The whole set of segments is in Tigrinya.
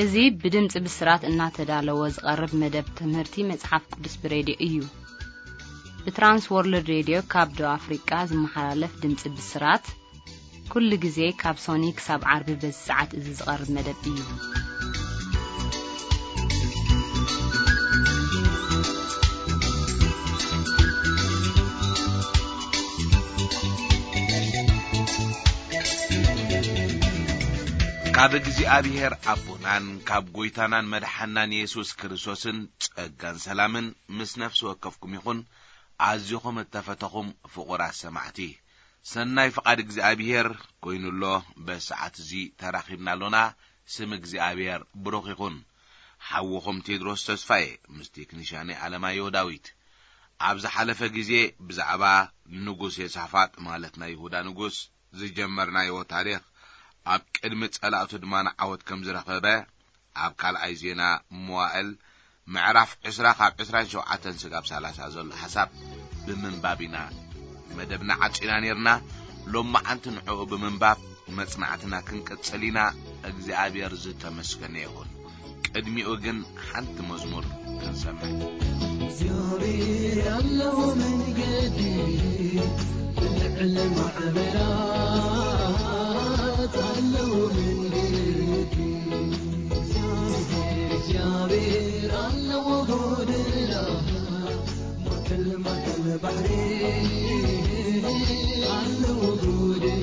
እዚ ብድምጺ ብስራት እናተዳለወ ዝቐርብ መደብ ትምህርቲ መጽሓፍ ቅዱስ ብሬድዮ እዩ። ብትራንስ ወርልድ ሬድዮ ካብ ደቡብ ኣፍሪቃ ዝመሓላለፍ ድምጺ ብስራት፣ ኩሉ ግዜ ካብ ሶኒ ክሳብ ዓርቢ በዚ ሰዓት እዚ ዝቐርብ መደብ እዩ። ካብ እግዚኣብሔር ኣቦናን ካብ ጐይታናን መድሓናን የሱስ ክርስቶስን ጸጋን ሰላምን ምስ ነፍሲ ወከፍኩም ይኹን። ኣዚኹም እተፈተኹም ፍቑራት ሰማዕቲ፣ ሰናይ ፍቓድ እግዚኣብሔር ኰይኑ ኣሎ። በዚ ሰዓት እዚ ተራኺብና ኣሎና። ስም እግዚኣብሔር ብሩኽ ይኹን። ሓውኹም ቴድሮስ ተስፋዬ ምስ ቴክኒሻነይ ኣለማየሁ ዳዊት። ኣብ ዝሓለፈ ግዜ ብዛዕባ ንጉስ የሳፋጥ፣ ማለት ናይ ይሁዳ ንጉስ፣ ዝጀመርናዮ ታሪኽ፣ ኣብ ቅድሚ ጸላእቱ ድማ ንዓወት ከም ዝረኸበ፣ ኣብ ካልኣይ ዜና መዋእል ምዕራፍ ዕስራ ካብ ዕስራን ሸውዓተን ስጋብ ሰላሳ ዘሎ ሓሳብ ብምንባብ ኢና መደብና ዓጺና ኔርና። ሎማዓንቲ ንዕኡ ብምንባብ መጽናዕትና ክንቅጽል ኢና። እግዚኣብሔር ዝተመስገነ ይኹን። ቅድሚኡ ግን ሓንቲ መዝሙር ክንሰምዕ። እግዚኣብሔር ኣለዎ መንገዲ፣ ብልዕሊ ማዕበላት ኣለዎ መንገዲ። እግዚኣብሔር፣ እግዚኣብሔር ኣለዎ ጎደና፣ ማእከል፣ ማእከል ባሕሪ ኣለዎ ጎደና።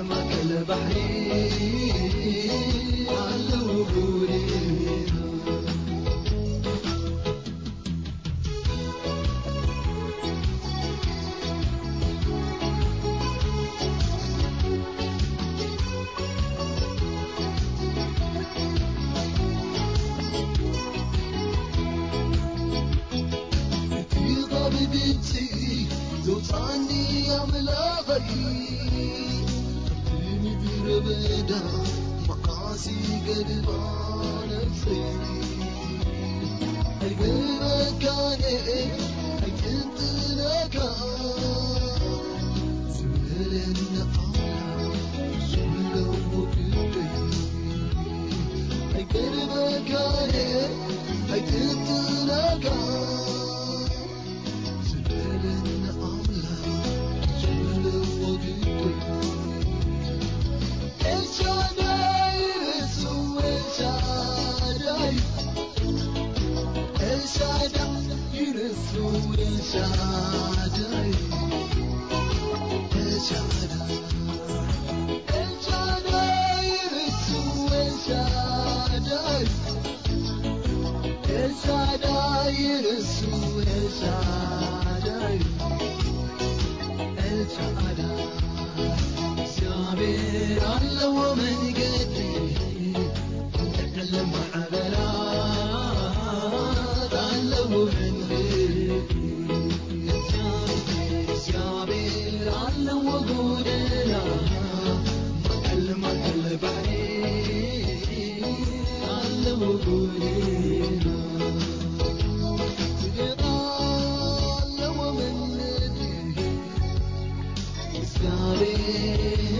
ማእከል ባሕሪ ኣለዉ ጉድ። እቲ ካብ ግብጺ ዘውጻኒ ኣምላኸይ፣ ኣብቲ ምድረ በዳ መዓስ ይገድባ ነፍሰይ። ኣይገድበካን ኣይጥንጥነካ ዝበለኒ ኣምላኽ፣ ዝብሎ ግደይ። ኣይገድበካን ኣይጥንጥነካ ዝበለኒ ኣምላኽ፣ ዝብሎ ግደይ። ኤልሻዳይ ንሱ፣ ኤልሻዳይ፣ ኤልሻዳይ ንሱ፣ ኤልሻዳይ፣ ኤልሻዳይ፣ ኤልሻዳይ ንሱ፣ ኤልሻዳይ፣ ኤልሻዳይ ንሱ፣ ኤልሻዳይ፣ ኤልሻዳይ። እግዚኣብሔር ኣለዎ መንገዲ፣ ንዕለም ማዕበላት ኣለዎ መንገዲ። እግዚኣብሔር ኣለዎ ጎደና፣ ማዕበል ማዕበል ባሕሪ ኣለዎ ጎደና። ጽድቅ ኣለዎ መንገዲ፣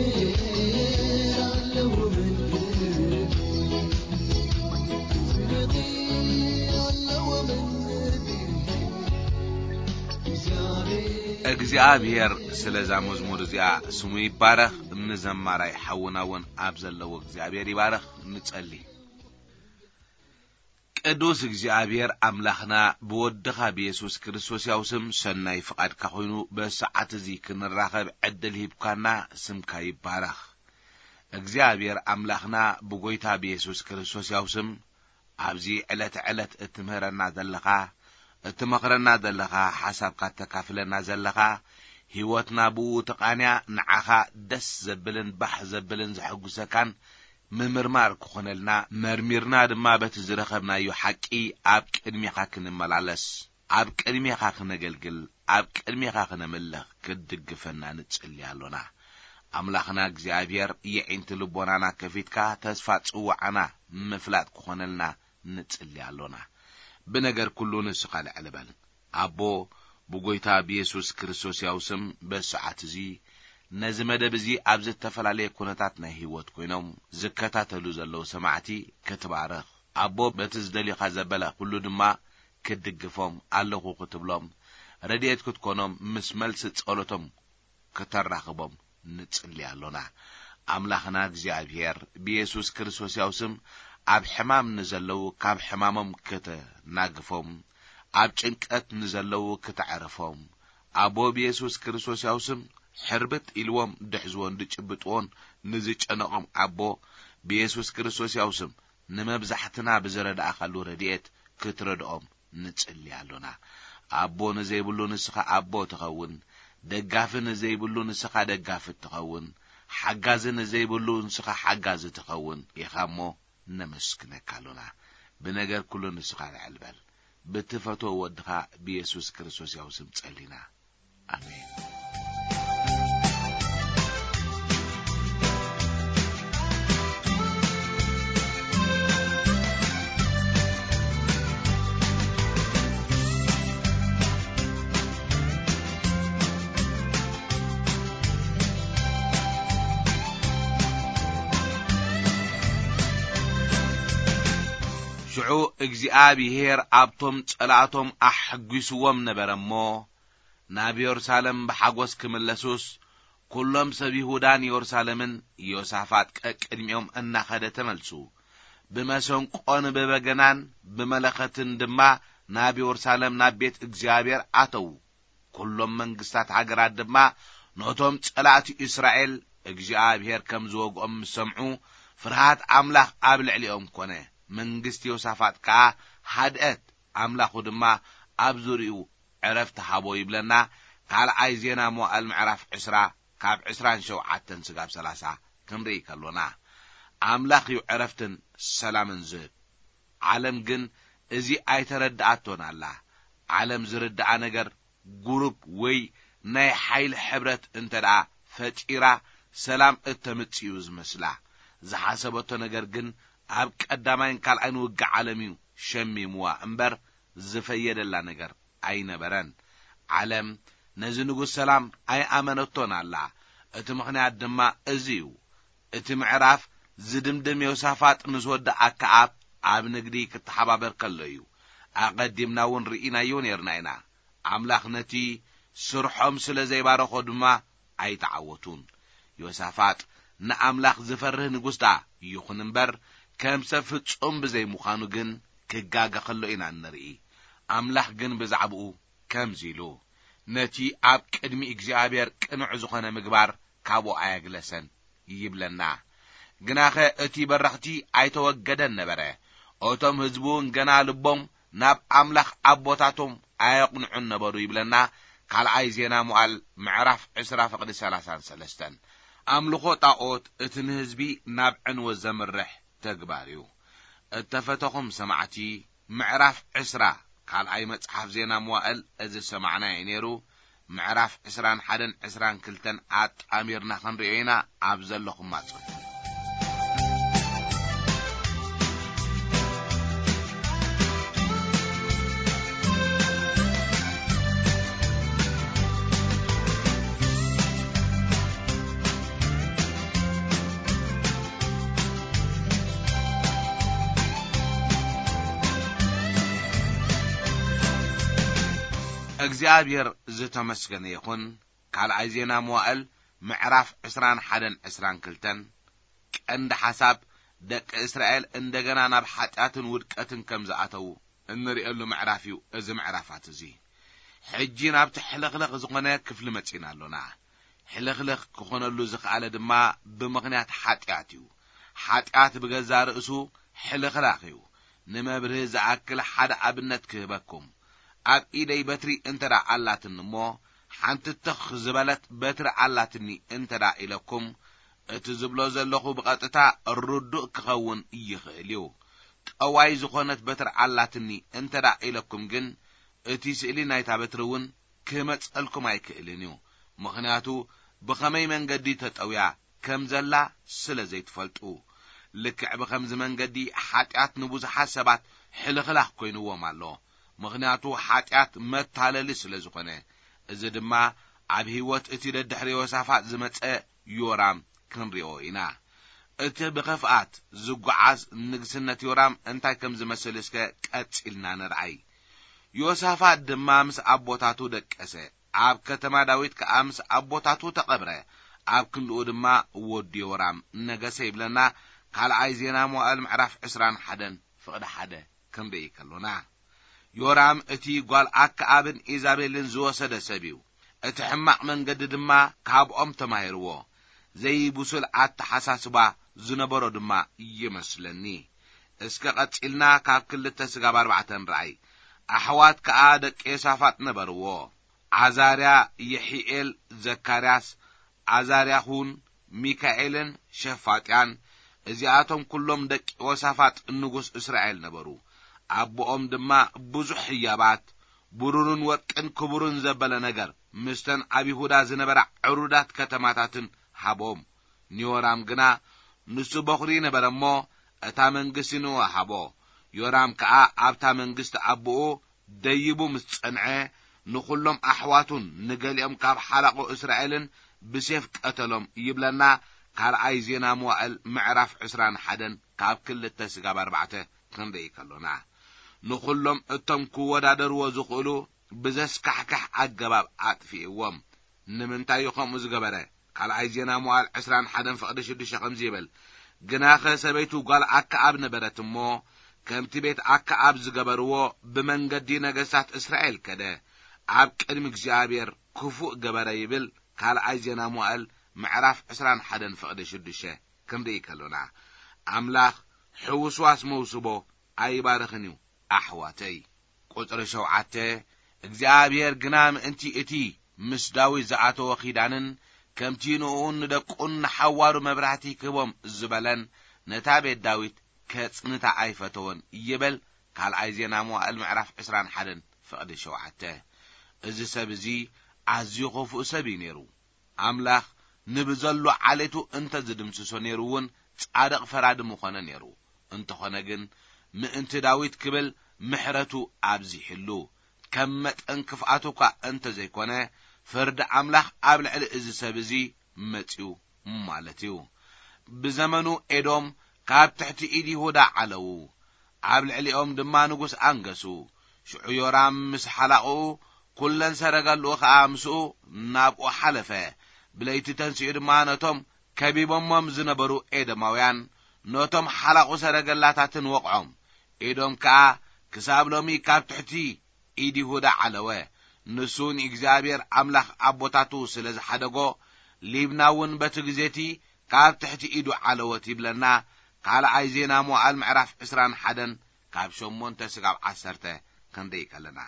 እግዚኣብሔር ኣለዎ መንገዲ፣ ጽድቅ ኣለዎ መንገዲ፣ እግዚኣብሔር። እግዚኣብሔር ስለዛ መዝሙር እዚኣ ስሙ ይባረኽ። ንዘማራይ ሓውና እውን ኣብ ዘለዎ እግዚኣብሔር ይባረኽ። ንጸሊ። ቅዱስ እግዚኣብሔር ኣምላኽና፣ ብወድኻ ብየሱስ ክርስቶስ ያው ስም ሰናይ ፍቓድካ ኮይኑ በሰዓት እዚ ክንራኸብ ዕድል ሂብካና፣ ስምካ ይባረኽ። እግዚኣብሔር ኣምላኽና፣ ብጎይታ ብየሱስ ክርስቶስ ያው ስም ኣብዚ ዕለት ዕለት እትምህረና ዘለኻ፣ እትመኽረና ዘለኻ፣ ሓሳብካ እተካፍለና ዘለኻ፣ ህይወትና ብኡ ተቓንያ ንዓኻ ደስ ዘብልን ባህ ዘብልን ዘሐጉሰካን ምምርማር ክኾነልና፣ መርሚርና ድማ በቲ ዝረኸብናዮ ሓቂ ኣብ ቅድሜኻ ክንመላለስ፣ ኣብ ቅድሜኻ ክነገልግል፣ ኣብ ቅድሜኻ ክነምልኽ ክትድግፈና ንጽሊ ኣሎና። ኣምላኽና እግዚኣብሔር፣ የዒንቲ ልቦናና ከፊትካ ተስፋ ጽዋዓና ምፍላጥ ክኾነልና ንጽሊ ኣሎና። ብነገር ኩሉ ንስኻ ልዕል በል። ኣቦ፣ ብጎይታ ብየሱስ ክርስቶስ ያው ስም በሰዓት እዚ ነዚ መደብ እዚ ኣብ ዝተፈላለየ ኩነታት ናይ ህይወት ኮይኖም ዝከታተሉ ዘለዉ ሰማዕቲ ክትባርኽ፣ ኣቦ፣ በቲ ዝደልዩኻ ዘበለ ኩሉ ድማ ክትድግፎም ኣለኹ ክትብሎም፣ ረድኤት ክትኮኖም፣ ምስ መልሲ ጸሎቶም ከተራኽቦም ንጽሊ ኣሎና። ኣምላኽና እግዚኣብሔር፣ ብየሱስ ክርስቶስ ያው ስም ኣብ ሕማም ንዘለዉ ካብ ሕማሞም ከተናግፎም፣ ኣብ ጭንቀት ንዘለዉ ከተዕርፎም፣ ኣቦ ብየሱስ ክርስቶስ ያው ስም ሕርብት ኢልዎም ድሕዝዎን ድጭብጥዎን ንዝጨነቖም ኣቦ ብየሱስ ክርስቶስ ያው ስም ንመብዛሕትና ብዝረዳእኻሉ ረድኤት ክትረድኦም ንጽሊ ኣሎና። ኣቦ ንዘይብሉ ንስኻ ኣቦ ትኸውን፣ ደጋፊ ንዘይብሉ ንስኻ ደጋፊ ትኸውን፣ ሓጋዚ ንዘይብሉ ንስኻ ሓጋዚ ትኸውን ኢኻ እሞ ነመስግነካ ኣሎና። ብነገር ኩሉ ንስኻ ልዕል በል። ብትፈትዎ ወድኻ ብየሱስ ክርስቶስ ያው ስም ጸሊና። ኣሜን። ሽዑ እግዚኣብሄር ኣብቶም ጸላእቶም ኣሐጒስዎም ነበረ እሞ፣ ናብ የሩሳሌም ብሓጎስ ክምለሱስ፣ ኩሎም ሰብ ይሁዳን የሩሳሌምን፣ ዮሳፋጥ ቀቅድሚኦም እናኸደ ተመልሱ። ብመሰንቆን ብበገናን ብመለኸትን ድማ ናብ የሩሳሌም ናብ ቤት እግዚኣብሔር ኣተዉ። ኩሎም መንግስታት ሃገራት ድማ ነቶም ጸላእቲ እስራኤል እግዚኣብሔር ከም ዝወግኦም ምስ ሰምዑ፣ ፍርሃት ኣምላኽ ኣብ ልዕሊኦም ኮነ። መንግስቲ ዮሳፋጥ ከኣ ሃድአት፣ ኣምላኹ ድማ ኣብ ዙርያኡ ዕረፍቲ ሃቦ ይብለና። ካልኣይ ዜና መዋእል ምዕራፍ ዕስራ ካብ ዕስራን ሸውዓተን ስጋብ ሰላሳ ክንርኢ ከሎና፣ ኣምላኽ እዩ ዕረፍትን ሰላምን ዝህብ። ዓለም ግን እዚ ኣይተረድኣቶን ኣላ። ዓለም ዝርድኣ ነገር፣ ጉሩፕ ወይ ናይ ሓይሊ ሕብረት እንተ ደኣ ፈጢራ፣ ሰላም እተምጽእ እዩ ዝመስላ። ዝሓሰበቶ ነገር ግን ኣብ ቀዳማይን ካልኣይን ውግእ ዓለም እዩ ሸሚምዋ እምበር፣ ዝፈየደላ ነገር ኣይነበረን። ዓለም ነዚ ንጉስ ሰላም ኣይኣመነቶን ኣላ። እቲ ምኽንያት ድማ እዚ እዩ። እቲ ምዕራፍ ዝድምድም ዮሳፋጥ ምስ ወዲ ኣከኣብ ኣብ ንግዲ ክተሓባበር ከሎ እዩ። ኣቐዲምና እውን ርኢናዮ ነይርና ኢና። ኣምላኽ ነቲ ስርሖም ስለ ዘይባረኾ ድማ ኣይተዓወቱን። ዮሳፋጥ ንኣምላኽ ዝፈርህ ንጉስ ደኣ ይኹን እምበር፣ ከም ሰብ ፍጹም ብዘይምዃኑ ግን ክጋገ ከሎ ኢና እንርኢ። ኣምላኽ ግን ብዛዕባኡ ከምዚ ኢሉ፣ ነቲ ኣብ ቅድሚ እግዚኣብሔር ቅኑዕ ዝኾነ ምግባር ካብኡ ኣየግለሰን ይብለና። ግናኸ እቲ በረኽቲ ኣይተወገደን ነበረ። እቶም ህዝቢ እውን ገና ልቦም ናብ ኣምላኽ ኣቦታቶም ኣየቕንዑን ነበሩ ይብለና። ካልኣይ ዜና መዋእል ምዕራፍ ዕስራ ፍቕዲ ሰላሳን ሰለስተን። ኣምልኾ ጣኦት እቲ ንህዝቢ ናብ ዕንወት ዘምርሕ ተግባር እዩ። እተፈተኹም ሰማዕቲ፣ ምዕራፍ ዕስራ ካልኣይ መጽሓፍ ዜና መዋእል እዚ ዝሰማዕናዮ እዩ ነይሩ። ምዕራፍ ዕስራን ሓደን ዕስራን ክልተን ኣጣሚርና ክንርእዮ ኢና። ኣብ ዘለኹም ኣጽንሑ። እግዚኣብሔር ዝተመስገነ ይኹን። ካልኣይ ዜና መዋእል ምዕራፍ ዕስራን ሓደን ዕስራን ክልተን። ቀንዲ ሓሳብ፣ ደቂ እስራኤል እንደገና ናብ ሓጢኣትን ውድቀትን ከም ዝኣተዉ እንርእየሉ ምዕራፍ እዩ እዚ ምዕራፋት እዚ። ሕጂ ናብቲ ሕልኽልኽ ዝኾነ ክፍሊ መጺና ኣሎና። ሕልኽልኽ ክኾነሉ ዝኸኣለ ድማ ብምኽንያት ሓጢኣት እዩ። ሓጢኣት ብገዛ ርእሱ ሕልኽላኽ እዩ። ንመብርሂ ዝኣክል ሓደ ኣብነት ክህበኩም። ኣብ ኢደይ በትሪ እንተ ደኣ ኣላትኒ እሞ፣ ሓንቲ ትኽ ዝበለት በትሪ ኣላትኒ እንተ ደኣ ኢለኩም፣ እቲ ዝብሎ ዘለኹ ብቐጥታ ርዱእ ክኸውን ይኽእል እዩ። ጠዋይ ዝኾነት በትሪ ኣላትኒ እንተ ደኣ ኢለኩም ግን፣ እቲ ስእሊ ናይታ በትሪ እውን ክመጸልኩም ኣይክእልን እዩ። ምኽንያቱ ብኸመይ መንገዲ ተጠውያ ከም ዘላ ስለ ዘይትፈልጡ። ልክዕ ብኸምዚ መንገዲ ሓጢኣት ንብዙሓት ሰባት ሕልኽላኽ ኮይንዎም ኣሎ። ምኽንያቱ ሓጢኣት መታለሊ ስለ ዝኾነ። እዚ ድማ ኣብ ህይወት እቲ ደድሕሪ ዮሳፋጥ ዝመጸ ዮራም ክንሪኦ ኢና። እቲ ብኽፍኣት ዝጓዓዝ ንግስነት ዮራም እንታይ ከም ዝመስል እስከ ቀጺልና ንርኣይ። ዮሳፋጥ ድማ ምስ ኣቦታቱ ደቀሰ፣ ኣብ ከተማ ዳዊት ከኣ ምስ ኣቦታቱ ተቐብረ። ኣብ ክንድኡ ድማ ወዲ ዮራም ነገሰ ይብለና። ካልኣይ ዜና መዋእል ምዕራፍ ዕስራን ሓደን ፍቕዲ ሓደ ክንርኢ ከሎና፣ ዮራም እቲ ጓል ኣከኣብን ኢዛቤልን ዝወሰደ ሰብ እዩ። እቲ ሕማቕ መንገዲ ድማ ካብኦም ተማሂርዎ። ዘይብሱል ኣተሓሳስባ ዝነበሮ ድማ ይመስለኒ። እስከ ቀጺልና ካብ ክልተ ስጋብ ኣርባዕተ ንርኣይ። ኣሕዋት ከኣ ደቂ ዮሳፋጥ ነበርዎ። ዓዛርያ፣ የሒኤል፣ ዘካርያስ፣ ዓዛርያኹን፣ ሚካኤልን ሸፋጥያን፣ እዚኣቶም ኩሎም ደቂ ዮሳፋጥ ንጉስ እስራኤል ነበሩ። ኣቦኦም ድማ ብዙሕ ህያባት፣ ብሩርን ወርቅን ክቡርን ዘበለ ነገር፣ ምስተን ኣብ ይሁዳ ዝነበራ ዕሩዳት ከተማታትን ሃቦም። ንዮራም ግና ንሱ በኹሪ ነበረ እሞ፣ እታ መንግስቲ ንኡ ሃቦ። ዮራም ከኣ ኣብታ መንግስቲ ኣቦኡ ደይቡ ምስ ጸንዐ፣ ንኹሎም ኣሕዋቱን ንገሊኦም ካብ ሓላቑ እስራኤልን ብሴፍ ቀተሎም ይብለና። ካልኣይ ዜና መዋእል ምዕራፍ ዕስራን ሓደን ካብ ክልተ ስጋብ ኣርባዕተ ክንርኢ ከሎና፣ ንኹሎም እቶም ክወዳደርዎ ዝኽእሉ ብዘስካሕክሕ ኣገባብ ኣጥፊእዎም። ንምንታይ እዩ ከምኡ ዝገበረ? ካልኣይ ዜና መዋእል ዕስራን ሓደን ፍቕዲ ሽዱሽተ ከምዚ ይብል፣ ግናኸ ሰበይቱ ጓል ኣከኣብ ነበረት እሞ፣ ከምቲ ቤት ኣከኣብ ዝገበርዎ ብመንገዲ ነገስታት እስራኤል ከደ፣ ኣብ ቅድሚ እግዚኣብሔር ክፉእ ገበረ ይብል። ካልኣይ ዜና መዋእል ምዕራፍ ዕስራን ሓደን ፍቕዲ ሽዱሽተ ክንርኢ ከሎና፣ ኣምላኽ ሕውስዋስ መውስቦ ኣይባርኽን እዩ። ኣሕዋተይ፣ ቁጽሪ ሸውዓተ፣ እግዚኣብሔር ግና ምእንቲ እቲ ምስ ዳዊት ዝኣተወ ኺዳንን ከምቲ ንእኡን ንደቁን ንሓዋሩ መብራህቲ ክህቦም ዝበለን ነታ ቤት ዳዊት ከጽንታ ኣይፈተወን ይብል። ካልኣይ ዜና መዋእል ምዕራፍ ዕስራን ሓደን ፍቕዲ ሸውዓተ። እዚ ሰብ እዚ ኣዝዩ ኽፉእ ሰብ እዩ ነይሩ። ኣምላኽ ንብዘሎ ዓሌቱ እንተ ዝድምስሶ ነይሩ እውን ጻድቕ ፈራዲ ምኾነ ነይሩ። እንተኾነ ግን ምእንቲ ዳዊት ክብል ምሕረቱ ኣብዚሕሉ። ከም መጠን ክፍኣቱ እኳ እንተ ዘይኮነ፣ ፍርዲ ኣምላኽ ኣብ ልዕሊ እዚ ሰብ እዚ መጺኡ ማለት እዩ። ብዘመኑ ኤዶም ካብ ትሕቲ ኢድ ይሁዳ ዓለዉ። ኣብ ልዕሊኦም ድማ ንጉስ ኣንገሱ። ሽዑ ዮራም ምስ ሓላቑኡ፣ ኩለን ሰረገልኡ ኸኣ ምስኡ ናብኡ ሓለፈ። ብለይቲ ተንሲኡ ድማ ነቶም ከቢቦሞም ዝነበሩ ኤዶማውያን፣ ነቶም ሓላቑ ሰረገላታትን ወቕዖም። ኤዶም ከኣ ክሳብ ሎሚ ካብ ትሕቲ ኢድ ይሁዳ ዓለወ። ንሱ ንእግዚኣብሔር ኣምላኽ ኣቦታቱ ስለ ዝሓደጎ፣ ሊብና እውን በቲ ግዜቲ ካብ ትሕቲ ኢዱ ዓለወት ይብለና። ካልኣይ ዜና መዋእል ምዕራፍ ዕስራን ሓደን ካብ ሸሞንተ ስጋብ ዓሰርተ ክንርኢ ከለና፣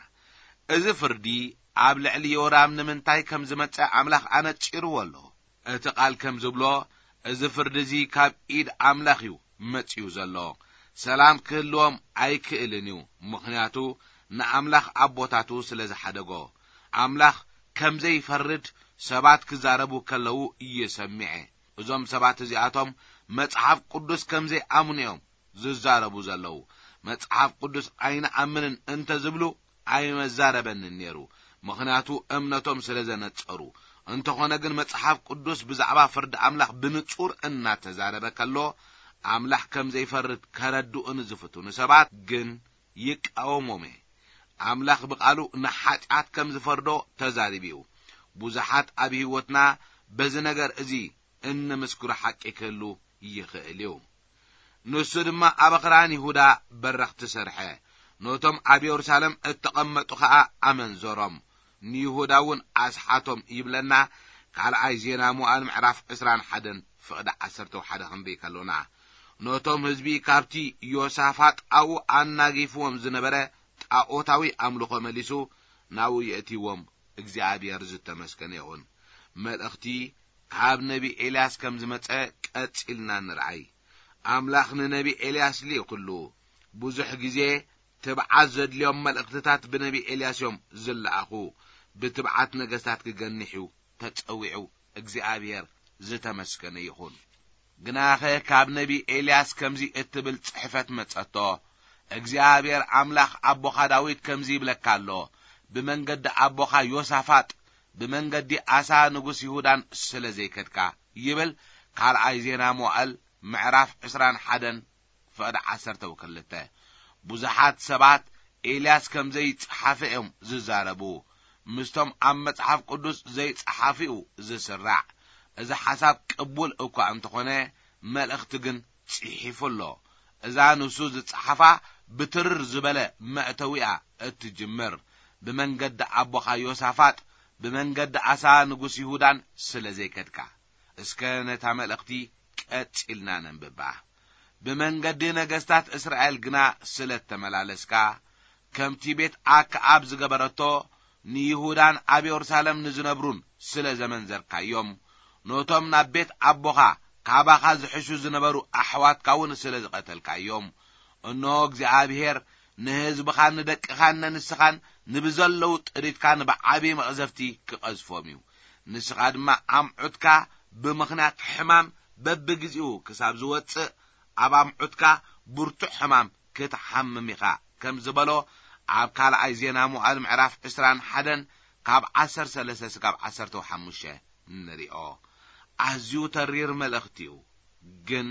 እዚ ፍርዲ ኣብ ልዕሊ ዮራም ንምንታይ ከም ዝመጸ ኣምላኽ ኣነጺርዎ ኣሎ። እቲ ቃል ከም ዝብሎ፣ እዚ ፍርዲ እዚ ካብ ኢድ ኣምላኽ እዩ መጺኡ ዘሎ። ሰላም ክህልዎም ኣይክእልን እዩ፣ ምኽንያቱ ንኣምላኽ ኣቦታቱ ስለ ዝሓደጎ። ኣምላኽ ከም ዘይፈርድ ሰባት ክዛረቡ ከለዉ እየ ሰሚዐ። እዞም ሰባት እዚኣቶም መጽሓፍ ቅዱስ ከም ዘይኣምኑ እዮም ዝዛረቡ ዘለዉ። መጽሓፍ ቅዱስ ኣይንኣምንን እንተ ዝብሉ ኣይመዛረበንን ነይሩ፣ ምኽንያቱ እምነቶም ስለ ዘነጸሩ። እንተኾነ ግን መጽሓፍ ቅዱስ ብዛዕባ ፍርዲ ኣምላኽ ብንጹር እናተዛረበ ከሎ፣ ኣምላኽ ከም ዘይፈርድ ከረድኡ ንዝፍትኑ ሰባት ግን ይቃወሞም እየ። ኣምላኽ ብቓሉ ንሓጢኣት ከም ዝፈርዶ ተዛሪቡ እዩ። ብዙሓት ኣብ ህይወትና በዚ ነገር እዚ እንምስክሮ ሓቂ ክህሉ ይኽእል እዩ። ንሱ ድማ ኣብ ኣኽራን ይሁዳ በረኽቲ ሰርሐ፣ ነቶም ኣብ የሩሳሌም እተቐመጡ ኸኣ ኣመንዘሮም፣ ንይሁዳ እውን ኣስሓቶም ይብለና። ካልኣይ ዜና መዋእል ምዕራፍ ዕስራን ሓደን ፍቕዲ ዓሰርተ ሓደ ክንርኢ ከሎና፣ ነቶም ህዝቢ ካብቲ ዮሳፋጥ ኣብኡ ኣናጊፍዎም ዝነበረ ጣኦታዊ ኣምልኾ መሊሱ ናብኡ የእትይዎም። እግዚኣብሔር ዝተመስገነ ይኹን። መልእኽቲ ካብ ነቢ ኤልያስ ከም ዝመጸ ቀጺልና ንርኣይ። ኣምላኽ ንነቢ ኤልያስ ልኢኹሉ። ብዙሕ ግዜ ትብዓት ዘድልዮም መልእኽትታት ብነቢ ኤልያስ እዮም ዝለኣኹ። ብትብዓት ነገስታት ክገንሕ እዩ ተጸዊዑ። እግዚኣብሔር ዝተመስገነ ይኹን። ግናኸ ካብ ነቢ ኤልያስ ከምዚ እትብል ጽሕፈት መጸቶ፣ እግዚኣብሔር ኣምላኽ ኣቦኻ ዳዊት ከምዚ ይብለካ ኣሎ፣ ብመንገዲ ኣቦኻ ዮሳፋጥ፣ ብመንገዲ ኣሳ ንጉስ ይሁዳን ስለ ዘይከድካ፣ ይብል። ካልኣይ ዜና መዋእል ምዕራፍ ዕስራን ሓደን ፍቕዲ ዓሰርተ ወክልተ። ብዙሓት ሰባት ኤልያስ ከም ዘይጸሓፈ እዮም ዝዛረቡ። ምስቶም ኣብ መጽሓፍ ቅዱስ ዘይጸሓፊኡ ዝስራዕ። እዚ ሓሳብ ቅቡል እኳ እንተኾነ፣ መልእኽቲ ግን ጽሒፉ ኣሎ። እዛ ንሱ ዝጸሓፋ ብትርር ዝበለ መእተዊኣ እትጅምር። ብመንገዲ ኣቦኻ ዮሳፋጥ፣ ብመንገዲ ኣሳ ንጉስ ይሁዳን ስለ ዘይከድካ። እስከ ነታ መልእኽቲ ቀጺልና ነንብባ። ብመንገዲ ነገስታት እስራኤል ግና ስለ እተመላለስካ፣ ከምቲ ቤት ኣክዓብ ዝገበረቶ፣ ንይሁዳን ኣብ የሩሳሌም ንዝነብሩን ስለ ዘመንዘርካዮም፣ ነቶም ናብ ቤት ኣቦኻ ካባኻ ዝሕሹ ዝነበሩ ኣሕዋትካ እውን ስለ ዝቐተልካዮም፣ እንሆ እግዚኣብሔር ንህዝብኻን ንደቅኻን ነንስኻን ንብዘለዉ ጥሪትካ ንብዓቢ መቕዘፍቲ ክቐዝፎም እዩ። ንስኻ ድማ ኣምዑትካ ብምኽንያት ሕማም በብግዜኡ ክሳብ ዝወጽእ፣ ኣብ ኣምዑትካ ብርቱዕ ሕማም ክትሓምም ኢኻ፣ ከም ዝበሎ ኣብ ካልኣይ ዜና መዋእል ምዕራፍ ዕስራን ሓደን ካብ ዓሰርተ ሰለስተ ስጋብ ዓሰርተ ሓሙሽተ ንሪኦ። ኣዝዩ ተሪር መልእኽቲ እዩ። ግን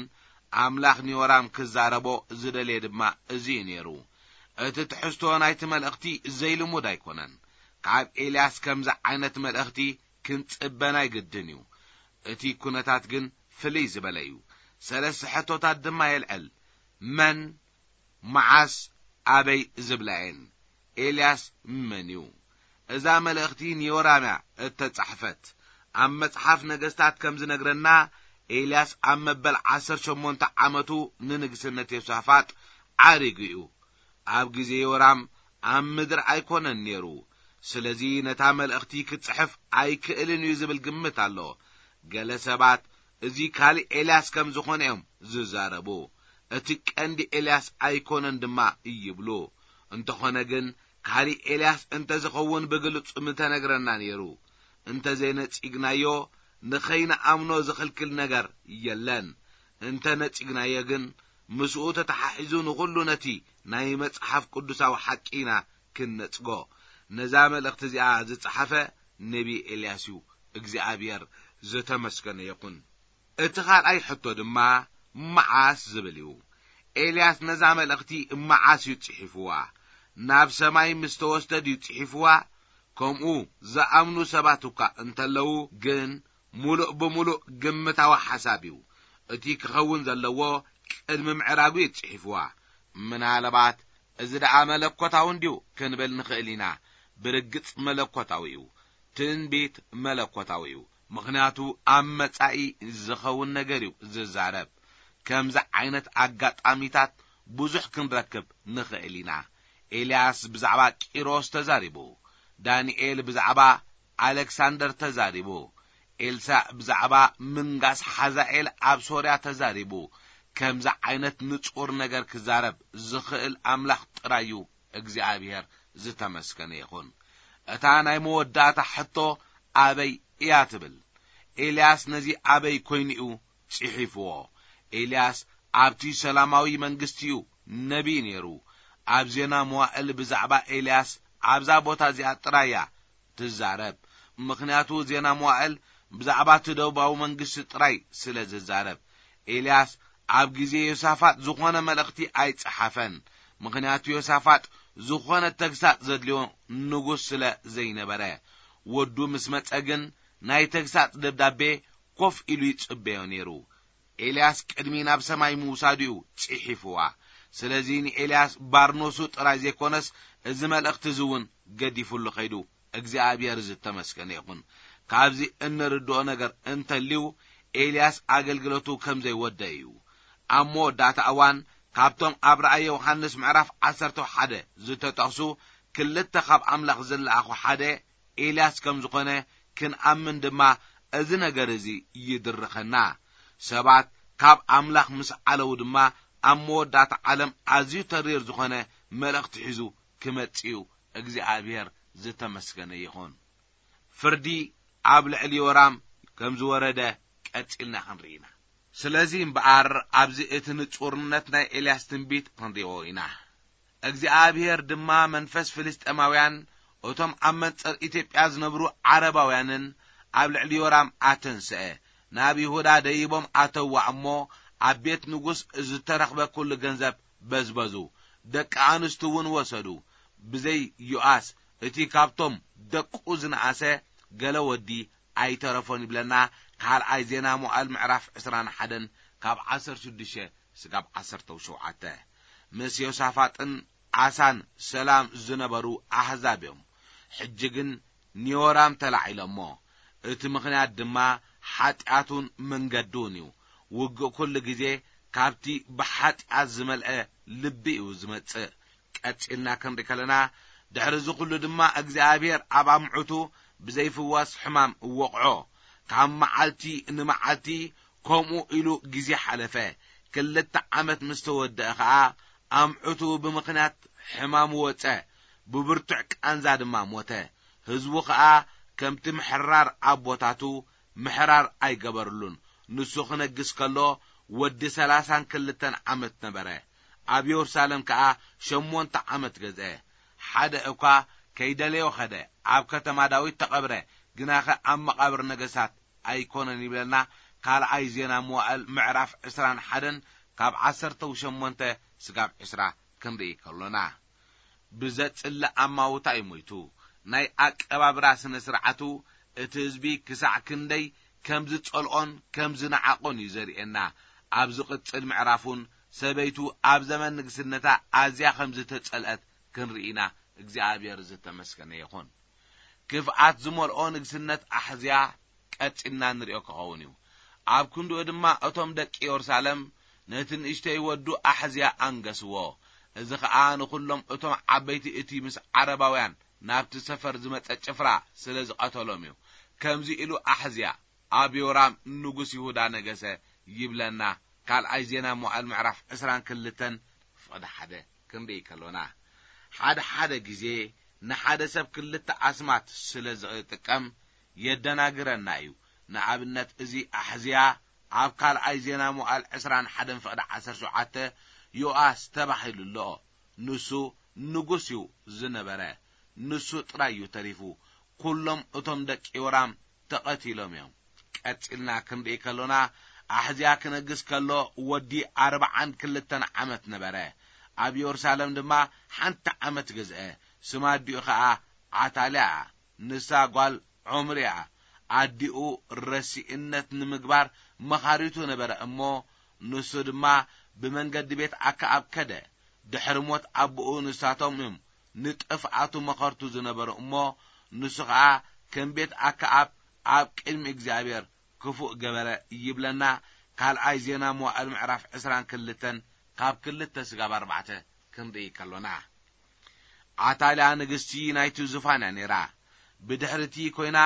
ኣምላኽ ንዮራም ክዛረቦ ዝደልየ ድማ እዚ እዩ ነይሩ። እቲ ትሕዝቶ ናይቲ መልእኽቲ ዘይልሙድ ኣይኮነን። ካብ ኤልያስ ከምዚ ዓይነት መልእኽቲ ክንጽበ ናይ ግድን እዩ። እቲ ኩነታት ግን ፍልይ ዝበለ እዩ። ሰለስተ ሕቶታት ድማ የልዕል። መን፣ መዓስ፣ ኣበይ ዝብላ እየን። ኤልያስ መን እዩ? እዛ መልእኽቲ ንዮራም እያ እተጻሕፈት። ኣብ መጽሓፍ ነገስታት ከም ዝነግረና፣ ኤልያስ ኣብ መበል ዓሰርተ ሸሞንተ ዓመቱ ንንግስነት ዮሳፋጥ ዓሪጉ እዩ። ኣብ ግዜ ዮራም ኣብ ምድሪ ኣይኮነን ነይሩ። ስለዚ ነታ መልእኽቲ ክጽሕፍ ኣይክእልን እዩ ዝብል ግምት ኣሎ። ገለ ሰባት እዚ ካልእ ኤልያስ ከም ዝኾነ እዮም ዝዛረቡ። እቲ ቀንዲ ኤልያስ ኣይኮነን ድማ ይብሉ። እንተኾነ ግን ካልእ ኤልያስ እንተዝኸውን ብግልጹ ምተነግረና ነይሩ። እንተዘይነጺግናዮ ንኸይንኣምኖ ዝኽልክል ነገር የለን። እንተነጺግናዮ ግን ምስኡ ተተሓሒዙ ንኹሉ ነቲ ናይ መጽሓፍ ቅዱሳዊ ሓቂ ኢና ክንነጽጎ። ነዛ መልእኽቲ እዚኣ ዝጸሓፈ ነቢ ኤልያስ እዩ። እግዚኣብሔር ዝተመስገነ ይኹን። እቲ ካልኣይ ሕቶ ድማ መዓስ ዝብል እዩ። ኤልያስ ነዛ መልእኽቲ መዓስ እዩ ጽሒፍዋ? ናብ ሰማይ ምስ ተወስደ ድዩ ጽሒፍዋ? ከምኡ ዝኣምኑ ሰባት እኳ እንተለዉ ግን፣ ምሉእ ብምሉእ ግምታዊ ሓሳብ እዩ። እቲ ክኸውን ዘለዎ ቅድሚ ምዕራጉ እዩ ጽሒፍዋ። ምናልባት እዚ ደኣ መለኮታዊ እንድዩ ክንብል ንኽእል ኢና። ብርግጽ መለኮታዊ እዩ። ትንቢት መለኮታዊ እዩ። ምኽንያቱ ኣብ መጻኢ ዝኸውን ነገር እዩ ዝዛረብ። ከምዚ ዓይነት ኣጋጣሚታት ብዙሕ ክንረክብ ንኽእል ኢና። ኤልያስ ብዛዕባ ቂሮስ ተዛሪቡ። ዳንኤል ብዛዕባ ኣሌክሳንደር ተዛሪቡ። ኤልሳዕ ብዛዕባ ምንጋስ ሓዛኤል ኣብ ሶርያ ተዛሪቡ። ከምዚ ዓይነት ንጹር ነገር ክዛረብ ዝኽእል ኣምላኽ ጥራይ እዩ እግዚኣብሔር ዝተመስገነ ይኹን። እታ ናይ መወዳእታ ሕቶ ኣበይ እያ ትብል። ኤልያስ ነዚ ኣበይ ኮይኑ እዩ ጽሒፍዎ? ኤልያስ ኣብቲ ሰላማዊ መንግስቲ እዩ ነቢይ ነይሩ። ኣብ ዜና መዋእል ብዛዕባ ኤልያስ ኣብዛ ቦታ እዚኣ ጥራይ እያ ትዛረብ። ምኽንያቱ ዜና መዋእል ብዛዕባ እቲ ደቡባዊ መንግስቲ ጥራይ ስለ ዝዛረብ። ኤልያስ ኣብ ግዜ ዮሳፋጥ ዝኾነ መልእኽቲ ኣይጸሓፈን። ምኽንያቱ ዮሳፋጥ ዝኾነ ተግሳጽ ዘድልዮ ንጉስ ስለ ዘይነበረ። ወዱ ምስ መጸ ግን ናይ ተግሳጽ ደብዳቤ ኮፍ ኢሉ ይጽበዮ ነይሩ። ኤልያስ ቅድሚ ናብ ሰማይ ምውሳዱ እዩ ጽሒፍዋ። ስለዚ ንኤልያስ ባርኖሱ ጥራይ ዘይኮነስ እዚ መልእኽቲ እዚ እውን ገዲፉሉ ኸይዱ። እግዚኣብሔር ዝተመስገነ ይኹን። ካብዚ እንርድኦ ነገር እንተልዩ ኤልያስ ኣገልግሎቱ ከም ዘይወደ እዩ። ኣብ መወዳእታ እዋን ካብቶም ኣብ ራእየ ዮሃንስ ምዕራፍ ዓሰርተ ሓደ ዝተጠቕሱ ክልተ ካብ ኣምላኽ ዝለኣኹ ሓደ ኤልያስ ከም ዝኾነ ክንኣምን ድማ እዚ ነገር እዚ ይድርኸና። ሰባት ካብ ኣምላኽ ምስ ዓለዉ ድማ ኣብ መወዳእታ ዓለም ኣዝዩ ተሪር ዝኾነ መልእኽቲ ሒዙ ክመጽእ እዩ። እግዚኣብሔር ዝተመስገነ ይኹን። ፍርዲ ኣብ ልዕሊ ዮራም ከም ዝወረደ ቀጺልና ክንርኢ ኢና። ስለዚ እምበኣር ኣብዚ እቲ ንጹርነት ናይ ኤልያስ ትንቢት ክንሪኦ ኢና። እግዚኣብሔር ድማ መንፈስ ፍልስጤማውያን እቶም ኣብ መንጸር ኢትዮጵያ ዝነብሩ ዓረባውያንን ኣብ ልዕሊ ዮራም ኣተንስአ። ናብ ይሁዳ ደይቦም ኣተዋ እሞ ኣብ ቤት ንጉስ ዝተረኽበ ኩሉ ገንዘብ በዝበዙ። ደቂ ኣንስቱ እውን ወሰዱ። ብዘይ ዮኣስ እቲ ካብቶም ደቁ ዝነኣሰ ገለ ወዲ ኣይተረፎን ይብለና። ካልኣይ ዜና መዋእል ምዕራፍ ዕስራን ሓደን ካብ ዓሰርተ ሽዱሽተ ስጋብ ዓሰርተ ሸውዓተ። ምስ ዮሳፋጥን ኣሳን ሰላም ዝነበሩ ኣህዛብ እዮም። ሕጂ ግን ንዮራም ተላዒሎሞ። እቲ ምኽንያት ድማ ሓጢኣቱን መንገዱን እዩ። ውግእ ኩሉ ግዜ ካብቲ ብሓጢኣት ዝመልአ ልቢ እዩ ዝመጽእ። ቀጺልና ክንርኢ ከለና፣ ድሕሪ እዚ ኩሉ ድማ እግዚኣብሔር ኣብ ኣምዑቱ ብዘይፍወስ ሕማም እወቕዖ። ካብ መዓልቲ ንመዓልቲ ከምኡ ኢሉ ግዜ ሓለፈ። ክልተ ዓመት ምስ ተወደአ ኸኣ ኣምዑቱ ብምኽንያት ሕማም ወጸ። ብብርቱዕ ቃንዛ ድማ ሞተ። ህዝቡ ኸኣ ከምቲ ምሕራር ኣቦታቱ ምሕራር ኣይገበርሉን። ንሱ ክነግስ ከሎ ወዲ ሠላሳን ክልተን ዓመት ነበረ። ኣብ የሩሳሌም ከኣ ሸሞንተ ዓመት ገዝአ። ሓደ እኳ ከይደለዮ ኸደ፣ ኣብ ከተማ ዳዊት ተቐብረ፣ ግናኸ ኣብ መቓብር ነገሳት ኣይኮነን ይብለና። ካልኣይ ዜና መዋእል ምዕራፍ ዕስራን ሓደን ካብ ዓሰርተ ሸሞንተ ስጋብ ዕስራ ክንርኢ ከሎና። ብዘጽልእ ኣማውታ እዩ ሞይቱ። ናይ ኣቀባብራ ስነ ስርዓቱ እቲ ህዝቢ ክሳዕ ክንደይ ከም ዝጸልኦን ከም ዝነዓቖን እዩ ዘርእየና። ኣብ ዝቕጽል ምዕራፍ እውን ሰበይቱ ኣብ ዘመን ንግስነታ ኣዝያ ከም ዝተጸልአት ክንርኢ ኢና። እግዚኣብሔር ዝተመስገነ ይኹን። ክፍኣት ዝመልኦ ንግስነት ኣሕዝያ ቀጺልና ንሪኦ ክኸውን እዩ። ኣብ ክንድኡ ድማ እቶም ደቂ የሩሳሌም ነቲ ንእሽተይ ወዱ ኣሕዝያ ኣንገስዎ። እዚ ኸኣ ንኹሎም እቶም ዓበይቲ እቲ ምስ ዓረባውያን ናብቲ ሰፈር ዝመጸ ጭፍራ ስለ ዝቐተሎም እዩ። ከምዚ ኢሉ ኣሕዝያ ኣብ ዮራም ንጉስ ይሁዳ ነገሰ ይብለና። ካልኣይ ዜና መዋዕል ምዕራፍ ዕስራን ክልተን ፍቕዲ ሓደ ክንርኢ ከሎና፣ ሓደ ሓደ ግዜ ንሓደ ሰብ ክልተ ኣስማት ስለ ዝጥቀም የደናግረና እዩ። ንኣብነት፣ እዚ ኣሕዝያ ኣብ ካልኣይ ዜና መዋዕል ዕስራን ሓደን ፍቕዲ ዓሰርተ ሸውዓተ ዮኣስ ተባሂሉ ኣሎ። ንሱ ንጉስ እዩ ዝነበረ። ንሱ ጥራይ እዩ ተሪፉ። ኩሎም እቶም ደቂ ዮራም ተቐቲሎም እዮም። ቀጺልና ክንርኢ ከሎና፣ ኣሕዝያ ክነግስ ከሎ ወዲ ኣርብዓን ክልተን ዓመት ነበረ። ኣብ የሩሳሌም ድማ ሓንቲ ዓመት ገዝአ። ስም ኣዲኡ ኸኣ ዓታልያ እያ። ንሳ ጓል ዖምሪ እያ። ኣዲኡ ረሲእነት ንምግባር መኻሪቱ ነበረ እሞ፣ ንሱ ድማ ብመንገዲ ቤት ኣከኣብ ከደ። ድሕሪ ሞት ኣቦኡ ንሳቶም እዮም ንጥፍኣቱ መኸርቱ ዝነበሩ እሞ፣ ንሱ ኸኣ ከም ቤት ኣከኣብ ኣብ ቅድሚ እግዚኣብሔር ክፉእ ገበረ ይብለና። ካልኣይ ዜና መዋዕል ምዕራፍ ዕስራን ክልተን ካብ ክልተ ስጋብ ኣርባዕተ ክንርኢ ከሎና። ዓታልያ ንግስቲ ናይቲ ዙፋን እያ ነይራ። ብድሕርቲ ኮይና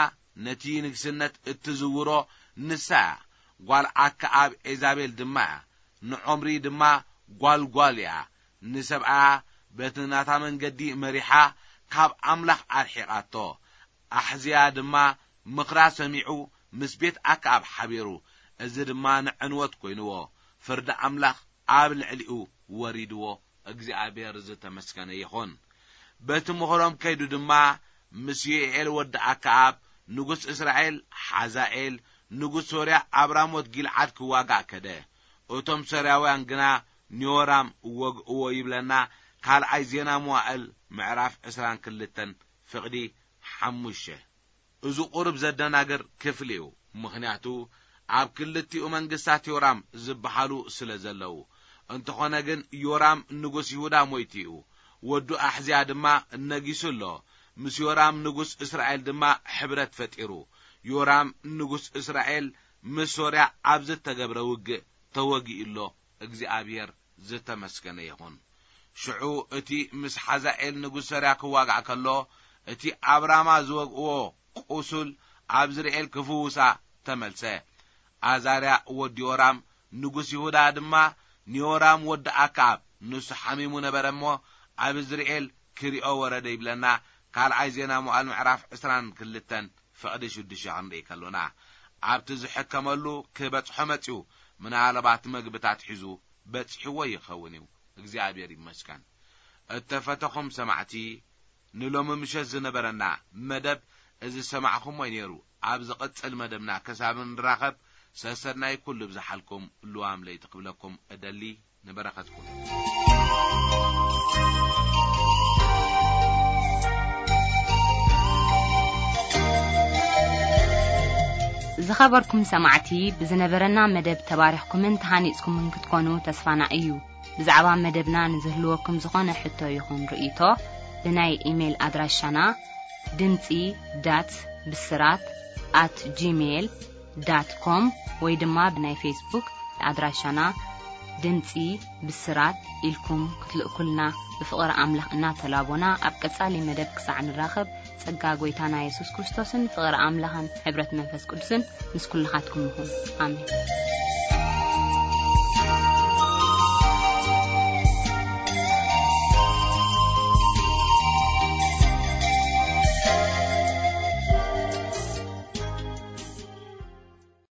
ነቲ ንግስነት እትዝውሮ ንሳ እያ። ጓል ኣከኣብ ኤዛቤል ድማ እያ። ንዖምሪ ድማ ጓልጓል እያ። ንሰብኣያ በቲ ናታ መንገዲ መሪሓ ካብ ኣምላኽ ኣርሒቓቶ። ኣሕዝያ ድማ ምኽራ ሰሚዑ ምስ ቤት ኣከኣብ ሓቢሩ። እዚ ድማ ንዕንወት ኮይንዎ። ፍርዲ ኣምላኽ ኣብ ልዕሊኡ ወሪድዎ። እግዚኣብሔር ዝተመስገነ ይኹን። በቲ ምኽሮም ከይዱ ድማ ምስ ዮኤል ወዲ ኣከኣብ ንጉስ እስራኤል፣ ሓዛኤል ንጉስ ሶርያ ኣብ ራሞት ጊልዓድ ክዋጋእ ከደ። እቶም ሶርያውያን ግና ንዮራም ወግእዎ ይብለና። ካልኣይ ዜና መዋእል ምዕራፍ ዕስራን ክልተን ፍቕዲ ሓሙሽተ። እዚ ቁሩብ ዘደናግር ክፍሊ እዩ። ምኽንያቱ ኣብ ክልቲኡ መንግስታት ዮራም ዝበሃሉ ስለ ዘለዉ። እንተኾነ ግን ዮራም ንጉስ ይሁዳ ሞይቱ እዩ። ወዱ ኣሕዝያ ድማ ነጊሱ ኣሎ። ምስ ዮራም ንጉስ እስራኤል ድማ ሕብረት ፈጢሩ። ዮራም ንጉስ እስራኤል ምስ ሶርያ ኣብ ዝተገብረ ውግእ ተወጊኡ ኣሎ። እግዚኣብሔር ዝተመስገነ ይኹን። ሽዑ እቲ ምስ ሓዛኤል ንጉስ ሶርያ ክዋጋእ ከሎ፣ እቲ ኣብ ራማ ዝወግእዎ ቁሱል ኣብ ዝርኤል ክፍውሳ ተመልሰ። ኣዛርያ ወዲ ዮራም ንጉስ ይሁዳ ድማ ንዮራም ወዲ ኣክኣብ፣ ንሱ ሓሚሙ ነበረ እሞ፣ ኣብ ዝርኤል ክሪኦ ወረደ ይብለና። ካልኣይ ዜና መዋዕል ምዕራፍ ዕስራን ክልተን ፍቕዲ ሽዱሽተ ክንርኢ ከሎና፣ ኣብቲ ዝሕከመሉ ክበጽሖ መጺኡ፣ ምናልባት መግብታት ሒዙ በጺሕዎ ይኸውን እዩ። እግዚኣብሔር ይመስገን። እተፈተኹም ሰማዕቲ፣ ንሎሚ ምሸት ዝነበረና መደብ እዚ ዝሰማዕኹሞ እዩ ነይሩ። ኣብ ዝቕጽል መደብና ክሳብ እንራኸብ፣ ሰሰናይ ኩሉ ብዝሓልኩም ልዋም ለይቲ ክብለኩም እደሊ። ንበረኸትኩም። ዝኸበርኩም ሰማዕቲ፣ ብዝነበረና መደብ ተባሪኽኩምን ተሃኒጽኩምን ክትኮኑ ተስፋና እዩ። ብዛዕባ መደብና ንዝህልወኩም ዝኾነ ሕቶ ይኹን ርእይቶ፣ ብናይ ኢሜይል ኣድራሻና ድምጺ ዳት ብስራት ኣት ጂሜይል ዳት ኮም ወይ ድማ ብናይ ፌስቡክ ኣድራሻና ድምጺ ብስራት ኢልኩም ክትልእኩልና ብፍቕሪ ኣምላኽ እናተላቦና፣ ኣብ ቀጻሊ መደብ ክሳዕ ንራኸብ፣ ጸጋ ጐይታና የሱስ ክርስቶስን ፍቕሪ ኣምላኽን ሕብረት መንፈስ ቅዱስን ምስ ኩልኻትኩም ይኹን። ኣሜን።